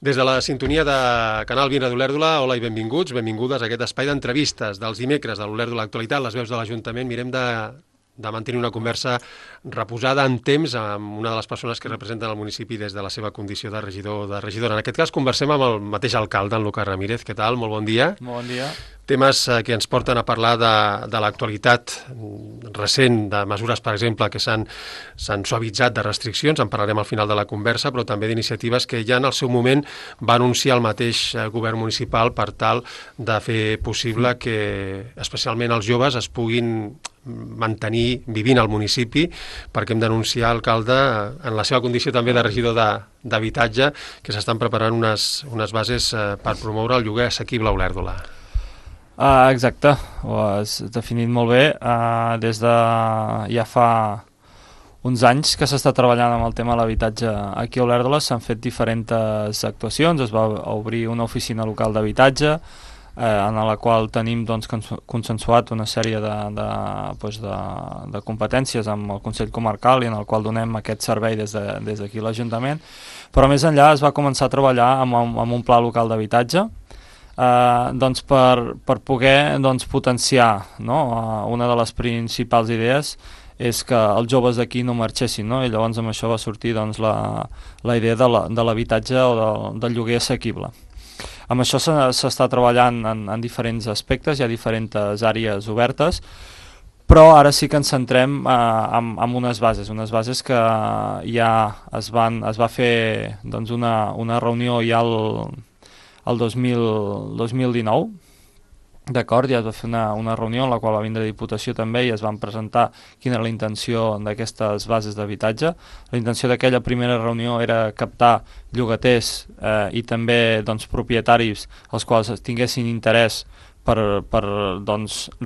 Des de la sintonia de Canal Vina d'Olèrdola, hola i benvinguts, benvingudes a aquest espai d'entrevistes dels dimecres de l'Olèrdola Actualitat, les veus de l'Ajuntament. Mirem de mantenir una conversa reposada en temps amb una de les persones que representen el municipi des de la seva condició de regidor o de regidora. En aquest cas conversem amb el mateix alcalde, en Lucas Ramírez. Què tal? Molt bon dia. Molt bon dia. Temes que ens porten a parlar de l'actualitat recent, de mesures, per exemple, que s'han suavitzat de restriccions, en parlarem al final de la conversa, però també d'iniciatives que ja en el seu moment va anunciar el mateix govern municipal per tal de fer possible que especialment els joves es puguin mantenir vivint al municipi, perquè hem d'anunciar, alcalde, en la seva condició també de regidor d'habitatge, que s'estan preparant unes bases per promoure el lloguer assequible a Olèrdola. Exacte, ho has definit molt bé. Des de ja fa uns anys que s'està treballant amb el tema de l'habitatge aquí a Olèrdola, s'han fet diferents actuacions. Es va obrir una oficina local d'habitatge, en la qual tenim consensuat una sèrie de competències amb el Consell Comarcal i en el qual donem aquest servei des d'aquí a l'Ajuntament, però més enllà es va començar a treballar amb un pla local d'habitatge per poder potenciar, no? Una de les principals idees és que els joves d'aquí no marxessin, no? I llavors amb això va sortir la idea de l'habitatge o del lloguer assequible. Amb això s'està treballant en diferents aspectes, hi ha diferents àrees obertes, però ara sí que ens centrem en unes bases que ja es va fer una reunió ja el 2019, d'acord, ja es va fer una reunió en la qual va vindre Diputació també i es van presentar quina era la intenció d'aquestes bases d'habitatge. La intenció d'aquella primera reunió era captar llogaters i també propietaris els quals tinguessin interès per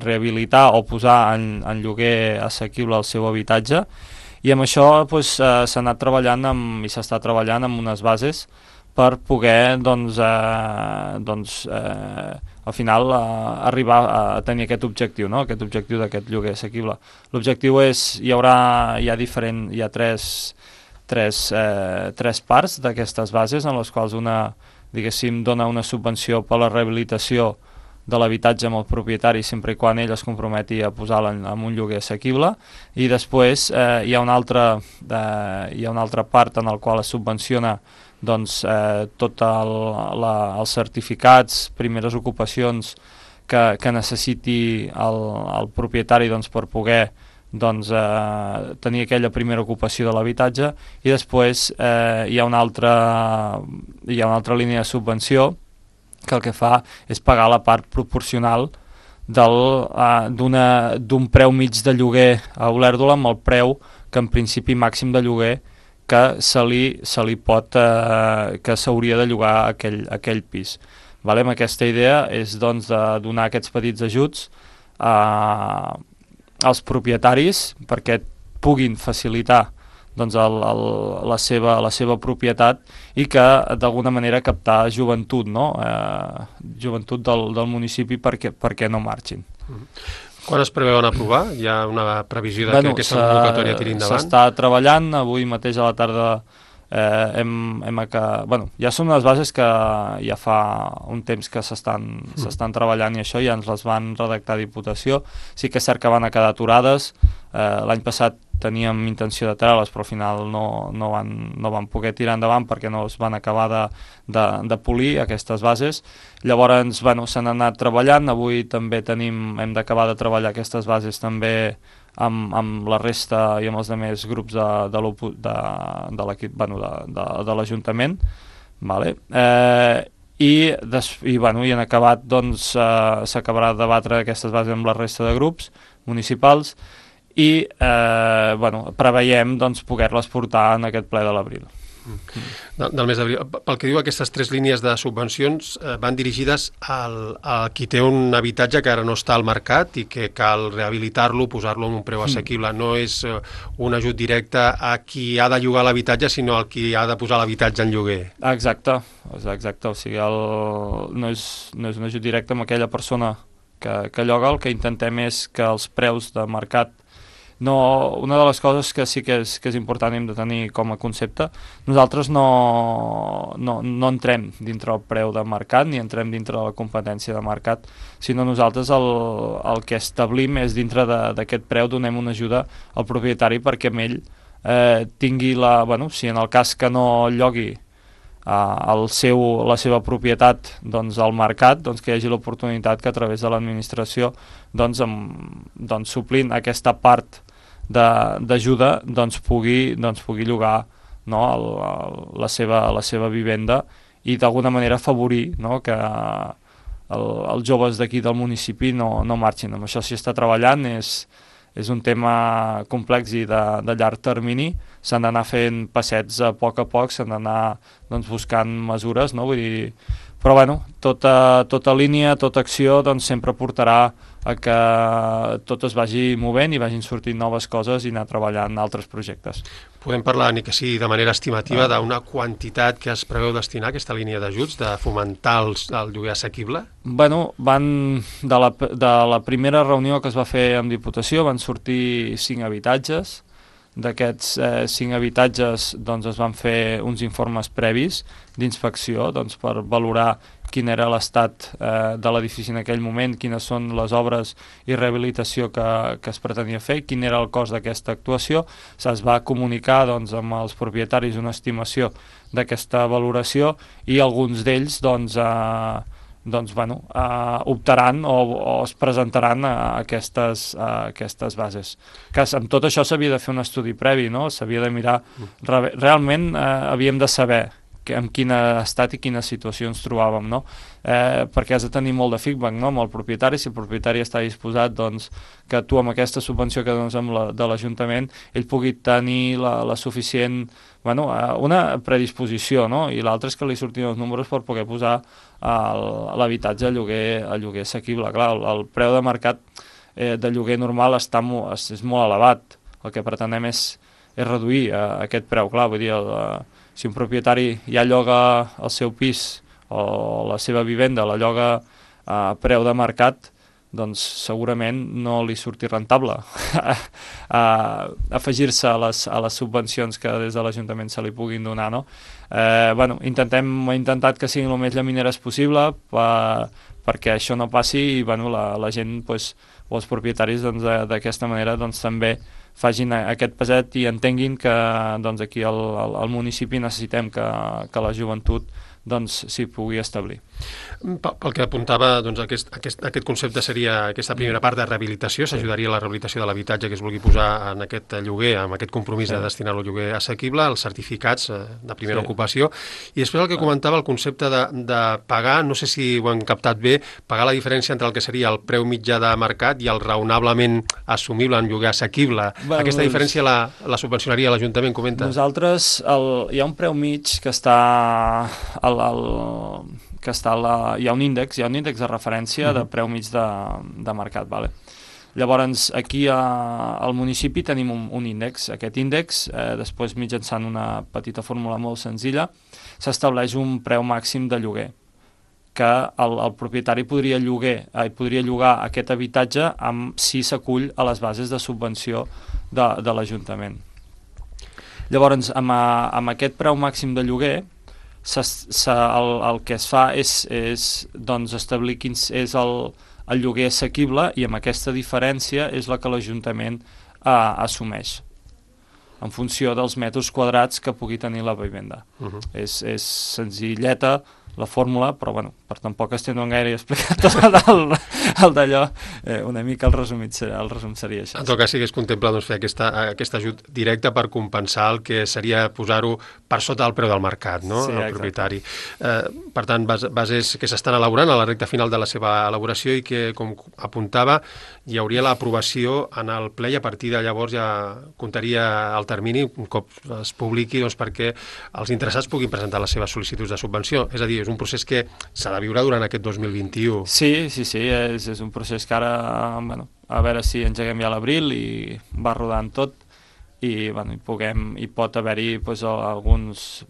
rehabilitar o posar en lloguer assequible el seu habitatge, i amb això s'ha anat treballant i s'està treballant amb unes bases per poder al final arribar a tenir aquest objectiu, no? Aquest objectiu d'aquest lloguer assequible. L'objectiu hi ha tres parts d'aquestes bases, en les quals una, diguéssim, dona una subvenció per la rehabilitació de l'habitatge amb el propietari sempre i quan ell es comprometi a posar-la en un lloguer assequible, i després hi ha una altra part en la qual es subvenciona tots els certificats, primeres ocupacions que necessiti el propietari per poder tenir aquella primera ocupació de l'habitatge, i després hi ha una altra línia de subvenció que el que fa és pagar la part proporcional d'un preu mig de lloguer a Olèrdola amb el preu que en principi màxim de lloguer que que s'hauria de llogar aquell pis. Vale? Amb aquesta idea és de donar aquests petits ajuts als propietaris perquè puguin facilitar la seva propietat i que d'alguna manera captar joventut, no? Joventut del municipi perquè no marxin. Quan es preveuen aprovar? Hi ha una previsió que aquesta convocatòria tiri endavant? S'està treballant, avui mateix a la tarda ja són unes bases que ja fa un temps que s'estan treballant, i això ja ens les van redactar a Diputació. Sí que és cert que van a quedar aturades. L'any passat teníem intenció de treure-les, però al final no van poder tirar endavant perquè no es van acabar de polir aquestes bases. Llavors s'han anat treballant. Avui també hem d'acabar de treballar aquestes bases també amb la resta i amb els altres grups de l'equip de l'Ajuntament, vale? I en acabat s'acabarà de debatre aquestes bases amb la resta de grups municipals i preveiem poder-les portar en aquest ple de l'abril. Del mes d'abril. Pel que diu, aquestes tres línies de subvencions van dirigides a qui té un habitatge que ara no està al mercat i que cal rehabilitar-lo, posar-lo en un preu assequible. No és un ajut directe a qui ha de llogar l'habitatge, sinó al qui ha de posar l'habitatge en lloguer. Exacte. O sigui, no és un ajut directe amb aquella persona que lloga. El que intentem és que els preus de mercat una de les coses que sí que és important i hem de tenir com a concepte, nosaltres no entrem dintre el preu de mercat ni entrem dintre de la competència de mercat, sinó nosaltres el que establim és dintre d'aquest preu donem una ajuda al propietari perquè amb ell tingui si en el cas que no llogui la seva propietat al mercat, que hi hagi l'oportunitat que a través de l'administració suplint aquesta part d'ajuda pugui llogar la seva vivenda i d'alguna manera afavorir que els joves d'aquí del municipi no marxin. Amb això s'hi està treballant, és un tema complex i de llarg termini, s'han d'anar fent passets a poc, s'han d'anar buscant mesures, no? Vull dir, però tota línia, tota acció sempre portarà a que tot es vagi movent i vagin sortint noves coses i anar treballant altres projectes. Podem parlar, ni que sigui de manera estimativa, d'una quantitat que es preveu destinar a aquesta línia d'ajuts, de fomentar el lloguer assequible? Van de la primera reunió que es va fer amb Diputació van sortir 5 habitatges. D'aquests 5 habitatges es van fer uns informes previs d'inspecció per valorar quin era l'estat de l'edifici en aquell moment, quines són les obres i rehabilitació que es pretenia fer, quin era el cost d'aquesta actuació. Es va comunicar amb els propietaris una estimació d'aquesta valoració i alguns d'ells optaran o es presentaran a aquestes bases. Amb tot això s'havia de fer un estudi previ, no? S'havia de mirar... Realment havíem de saber en quin estat i quina situació ens trobàvem, no? Perquè has de tenir molt de feedback, no? Amb el propietari, si el propietari està disposat que tu amb aquesta subvenció que dones de l'Ajuntament ell pugui tenir la suficient... una predisposició, no? I l'altra és que li surtin els números per poder posar l'habitatge a lloguer assequible. Clar, el preu de mercat de lloguer normal és molt elevat. El que pretenem és reduir aquest preu. Clar, vull dir, si un propietari ja lloga el seu pis o la seva vivenda, la lloga a preu de mercat, doncs segurament no li surti rentable afegir-se a les subvencions que des de l'Ajuntament se li puguin donar, no? Hem intentat que siguin el més llamineres possible perquè això no passi i la gent o els propietaris d'aquesta manera també facin aquest peset i entenguin que aquí al municipi necessitem que la joventut s'hi pugui establir. Pel que apuntava, aquest concepte seria aquesta primera part de rehabilitació, s'ajudaria a la rehabilitació de l'habitatge que es vulgui posar en aquest lloguer, amb aquest compromís de destinar-lo al lloguer assequible, els certificats de primera ocupació, i després el que comentava, el concepte de pagar, no sé si ho han captat bé, pagar la diferència entre el que seria el preu mitjà de mercat i el raonablement assumible en lloguer assequible. Aquesta diferència la subvencionaria l'Ajuntament, comenta? Nosaltres, hi ha un preu mig que està hi ha un índex de referència de preu mig de mercat. Vale? Llavors, aquí al municipi tenim un índex. Aquest índex, després mitjançant una petita fórmula molt senzilla, s'estableix un preu màxim de lloguer, que el propietari podria llogar aquest habitatge si s'acull a les bases de subvenció de l'Ajuntament. Llavors, amb aquest preu màxim de lloguer, el que es fa és establir quin és el lloguer assequible i amb aquesta diferència és la que l'Ajuntament assumeix en funció dels metres quadrats que pugui tenir la vivenda. És senzilleta la fórmula, però per tampoc estendre'n gaire i explicar tot el d'allò, una mica el resum seria això. En tot cas, sí que es contempla fer aquest ajut directe per compensar el que seria posar-ho per sota del preu del mercat, no? Sí, el propietari. Per tant, bases que s'estan elaborant a la recta final de la seva elaboració i que, com apuntava, hi hauria l'aprovació en el ple i a partir de llavors ja comptaria el termini, un cop es publiqui, perquè els interessats puguin presentar les seves sol·licituds de subvenció. És a dir, és un procés que s'ha de viure durant aquest 2021. Sí, és un procés que ara, a veure si engeguem ja a l'abril i va rodant tot i pot haver-hi alguns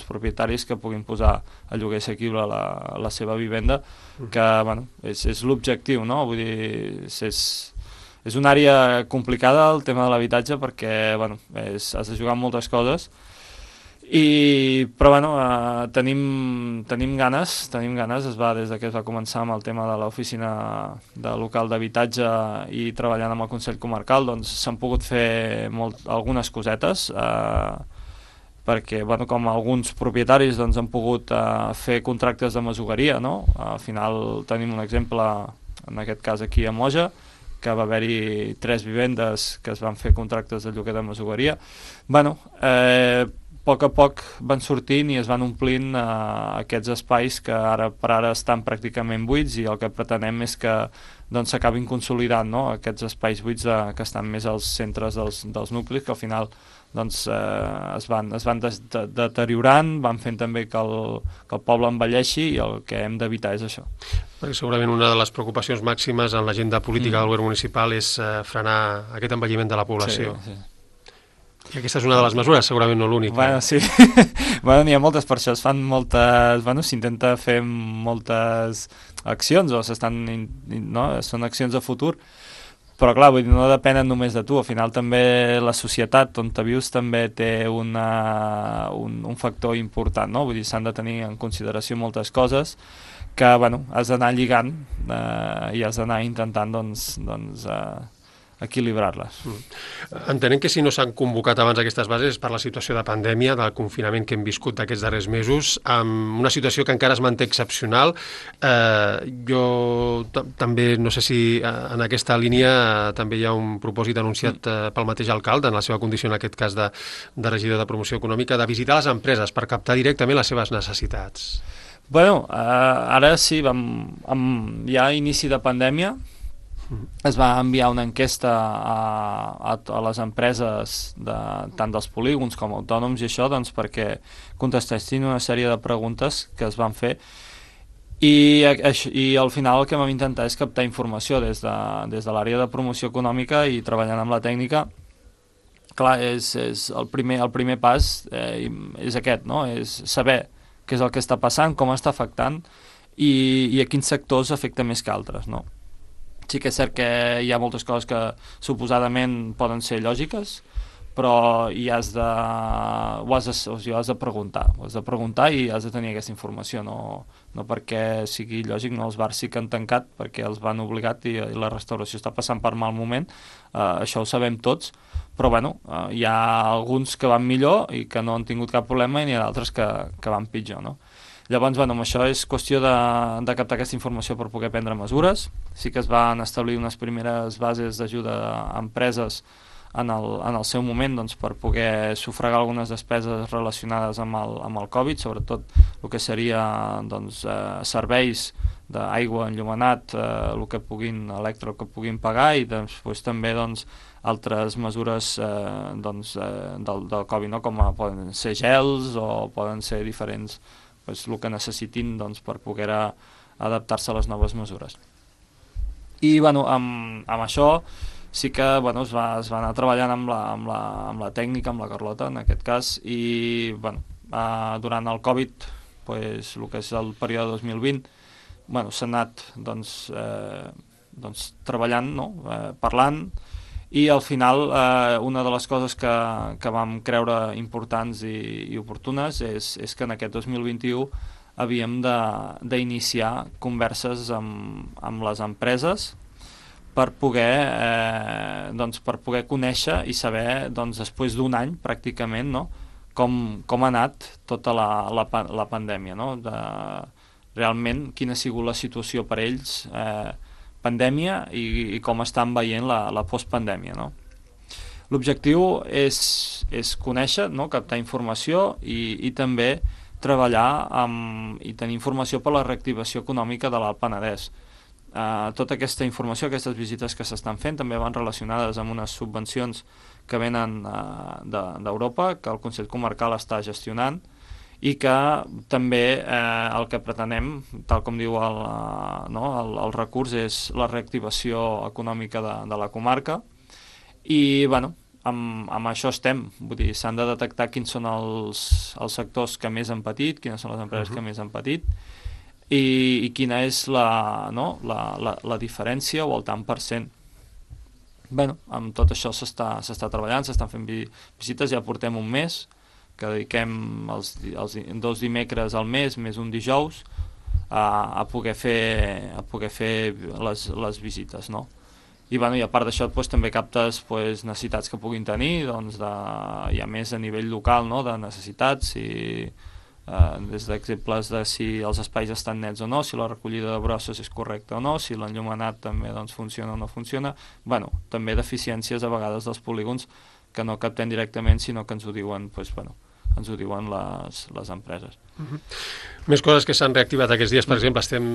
propietaris que puguin posar a lloguer assequible la seva vivenda, que és l'objectiu, no? Vull dir, és És una àrea complicada, el tema de l'habitatge, perquè bueno, has de jugar amb moltes coses, però bueno, tenim ganes, es va des que es va començar amb el tema de l'oficina de local d'habitatge i treballant amb el Consell Comarcal, doncs s'han pogut fer algunes cosetes, perquè bueno, com alguns propietaris doncs, han pogut fer contractes de masoveria, no? Al final tenim un exemple, en aquest cas aquí a Moja, que va haver-hi 3 vivendes que es van fer contractes de lloguer de masoveria. Bueno, a poc van sortint i es van omplint aquests espais que ara per ara estan pràcticament buits, i el que pretenem és que doncs, s'acabin consolidant, no? Aquests espais buits que estan més als centres dels nuclis, que al final doncs, es van deteriorant, van fent també que el poble envelleixi, i el que hem d'evitar és això. Perquè segurament una de les preocupacions màximes en l'agenda política del govern municipal és frenar aquest envelliment de la població. Sí. I aquesta és una de les mesures, segurament no l'única. Bueno, sí. Bueno, n'hi ha moltes, per això es fan moltes... Bueno, s'intenta fer moltes accions, o són accions de futur, però clar, vull dir, no depenen només de tu. Al final també la societat on te vius també té un factor important, no? Vull dir, s'han de tenir en consideració moltes coses que, bueno, has d'anar lligant i has d'anar intentant, doncs equilibrar-les. Entenem que si no s'han convocat abans aquestes bases és per la situació de pandèmia, del confinament que hem viscut d'aquests darrers mesos, amb una situació que encara es manté excepcional. Jo també, no sé si en aquesta línia també hi ha un propòsit anunciat pel mateix alcalde, en la seva condició en aquest cas de regidor de promoció econòmica, de visitar les empreses per captar directament les seves necessitats. Bueno, ara sí, ja a inici de pandèmia, es va enviar una enquesta a les empreses tant dels polígons com autònoms i això, doncs, perquè contestessin una sèrie de preguntes que es van fer, i al final el que vam intentar és captar informació des de l'àrea de promoció econòmica i treballant amb la tècnica. Clar, és el primer pas és aquest, no? És saber què és el que està passant, com està afectant i a quins sectors afecta més que altres, no? Sí que és cert que hi ha moltes coses que suposadament poden ser lògiques, però has de preguntar i has de tenir aquesta informació, no perquè sigui lògic, no, els bars sí que han tancat perquè els van obligat i la restauració està passant per mal moment, això ho sabem tots, però bueno, hi ha alguns que van millor i que no han tingut cap problema, i n'hi ha d'altres que van pitjor, no? Llavors, bueno, amb això és qüestió de captar aquesta informació per poder prendre mesures. Sí que es van establir unes primeres bases d'ajuda a empreses en el seu moment, doncs, per poder sufragar algunes despeses relacionades amb el Covid, sobretot el que seria doncs, serveis d'aigua, enllumenat, el que puguin pagar, i després també doncs, altres mesures del Covid, no? Com poden ser gels o poden ser diferents, el que necessitin doncs, per poder adaptar-se a les noves mesures. I bueno, amb això sí que bueno, es va anar treballant amb la tècnica, amb la Carlota en aquest cas, i bueno, durant el Covid, pues, el que és el període 2020, bueno, s'ha anat doncs, treballant, no? Parlant, i al final una de les coses que vam creure importants i oportunes és que en aquest 2021 havíem d'iniciar converses amb les empreses per poder conèixer i saber, doncs, després d'un any pràcticament, no? com ha anat tota la pandèmia, no? Realment quina ha sigut la situació per ells, pandèmia, i com estan veient la postpandèmia, no? L'objectiu és conèixer, no? Captar informació i també treballar i tenir informació per la reactivació econòmica de l'Alt Penedès. Tota aquesta informació, aquestes visites que s'estan fent, també van relacionades amb unes subvencions que venen d'Europa, que el Consell Comarcal està gestionant, i que també el que pretenem, tal com diu el recurs, és la reactivació econòmica de la comarca, i bueno, amb això estem, vull dir, s'han de detectar quins són els sectors que més han patit, quines són les empreses que més han patit, i quina és la diferència o el tant per cent. Bueno, amb tot això s'està treballant, s'estan fent visites, ja portem un mes, que dediquem els 2 dimecres al mes, més un dijous, a poder fer les visites, no? I, bueno, i a part d'això doncs, també captes doncs, necessitats que puguin tenir, doncs, hi ha més a nivell local, no?, de necessitats, des d'exemples de si els espais estan nets o no, si la recollida de brosses és correcta o no, si l'enllumenat també doncs, funciona o no funciona. Bueno, també deficiències a vegades dels polígons que no captem directament, sinó que ens ho diuen, doncs, bueno, ens ho diuen les empreses. Més coses que s'han reactivat aquests dies, per exemple, estem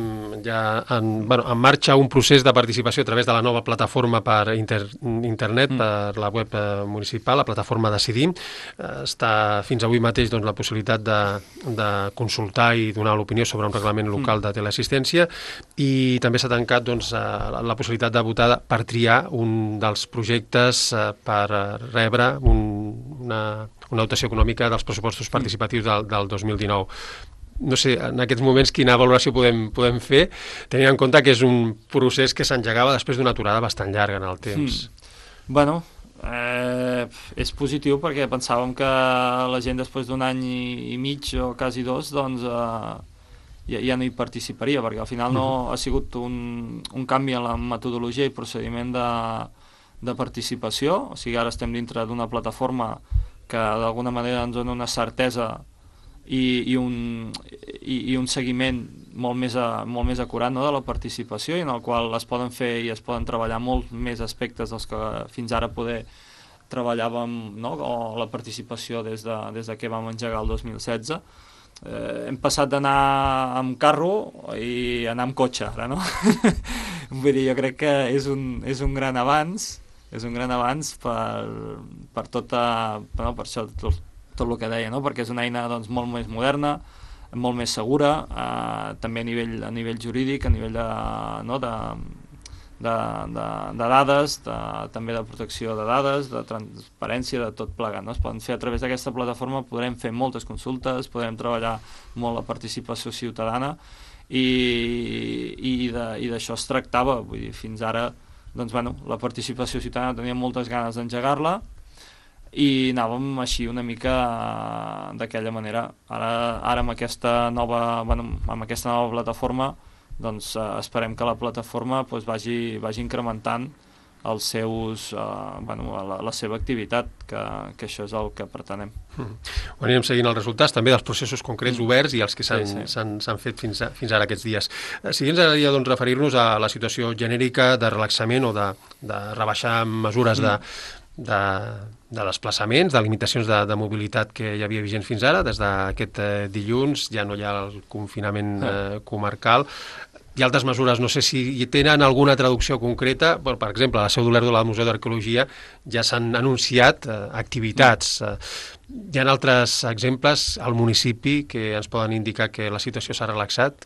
ja en marxa un procés de participació a través de la nova plataforma per internet, per la web municipal, la plataforma Decidim. Està fins avui mateix doncs, la possibilitat de consultar i donar l'opinió sobre un reglament local de teleassistència, i també s'ha tancat doncs, la possibilitat de votar per triar un dels projectes per rebre una dotació econòmica dels pressupostos participatius del 2019. No sé, en aquests moments quina valoració podem fer, tenint en compte que és un procés que s'engegava després d'una aturada bastant llarga en el temps. Bueno, és positiu perquè pensàvem que la gent després d'un any i mig o quasi 2 doncs ja no hi participaria, perquè al final no ha sigut un canvi en la metodologia i procediment de participació, o sigui, ara estem dintre d'una plataforma que d'alguna manera ens dona una certesa i un seguiment molt més acurat, no?, de la participació, i en el qual es poden fer i es poden treballar molt més aspectes dels que fins ara poder treballàvem, no?, o la participació des de que vam engegar el 2016. Hem passat d'anar amb carro i anar amb cotxe ara, no? Vull dir, jo crec que és un gran avanç, per tota, no, per això tot el que deia, no? Perquè és una eina doncs, molt més moderna, molt més segura, també a nivell jurídic, a nivell de dades, també de protecció de dades, de transparència, de tot plegat, no? Es poden fer a través d'aquesta plataforma, podrem fer moltes consultes, podrem treballar molt la participació ciutadana, i d'això es tractava. Vull dir, fins ara doncs, bueno, la participació ciutadana tenia moltes ganes d'engegar-la i anàvem així una mica d'aquella manera. Ara amb aquesta nova plataforma doncs, esperem que la plataforma doncs, vagi incrementant els seus, la seva activitat, que això és el que pretenem. Ho anirem seguint els resultats també dels processos concrets oberts i els que s'han fet fins ara aquests dies. Si ens agradaria doncs, referir-nos a la situació genèrica de relaxament o de rebaixar mesures de desplaçaments, de limitacions de mobilitat que hi havia vigent fins ara. Des d'aquest dilluns ja no hi ha el confinament comarcal. Hi ha altres mesures, no sé si tenen alguna traducció concreta. Per exemple, a la Seu d'Olèrdola del Museu d'Arqueologia ja s'han anunciat activitats. Hi ha altres exemples al municipi que ens poden indicar que la situació s'ha relaxat?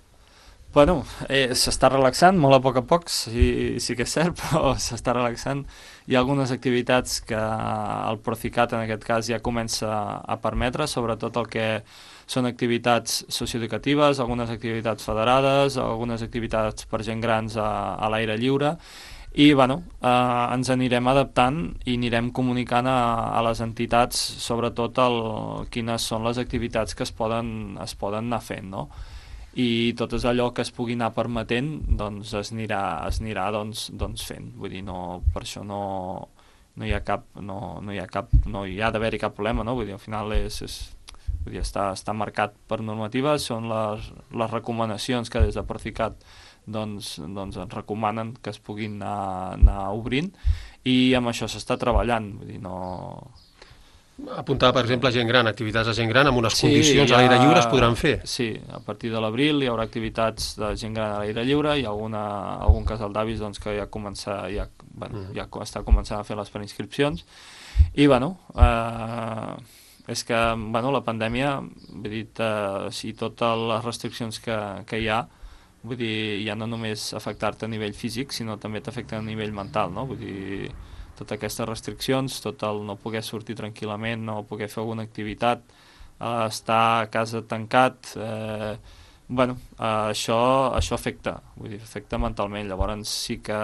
Bueno, s'està relaxant molt a poc, sí que és cert, però s'està relaxant. Hi ha algunes activitats que el Procicat, en aquest cas, ja comença a permetre, sobretot el que són activitats socioeducatives, algunes activitats federades, algunes activitats per gent grans a l'aire lliure, i bueno, ens anirem adaptant i anirem comunicant a les entitats sobretot quines són les activitats que es poden anar fent, no? I tot és allò que es pugui anar permetent doncs es anirà fent. Vull dir, per això no hi ha d'haver-hi cap problema, no? Vull dir, al final vull dir, està marcat per normatives, són les recomanacions que des de Procicat doncs ens recomanen que es puguin anar obrint, i amb això s'està treballant. Vull dir, apuntava, per exemple, gent gran, activitats de gent gran amb unes condicions a l'aire lliure es podran fer. Sí, a partir de l'abril hi haurà activitats de gent gran a l'aire lliure, hi ha algun casal d'avis doncs, que ja està començant a fer les preinscripcions, i bueno, és que la pandèmia, vull dir, si totes les restriccions que hi ha, vull dir, ja no només afectar-te a nivell físic, sinó també t'afecta a nivell mental, no? Vull dir, totes aquestes restriccions, tot el no poder sortir tranquil·lament, no poder fer alguna activitat, estar a casa tancat, això afecta, vull dir, afecta mentalment. Llavors sí que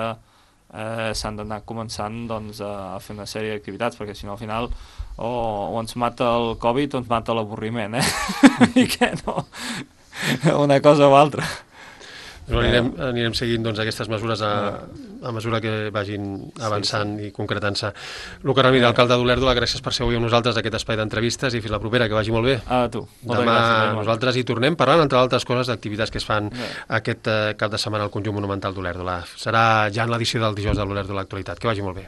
s'han d'anar començant doncs, a fer una sèrie d'activitats, perquè si no al final o ens mata el Covid o ens mata l'avorriment, i que no, una cosa o altra. Anirem seguint doncs, aquestes mesures a mesura que vagin avançant i concretant-se. Luca Ramírez, alcalde d'Olèrdola, gràcies per ser avui amb nosaltres d'aquest espai d'entrevistes i fins la propera, que vagi molt bé. A tu. Demà nosaltres hi tornem parlant, entre altres coses, d'activitats que es fan aquest cap de setmana al conjunt monumental d'Olèrdola. Serà ja en l'edició del dijous de l'Olèrdola Actualitat. Que vagi molt bé.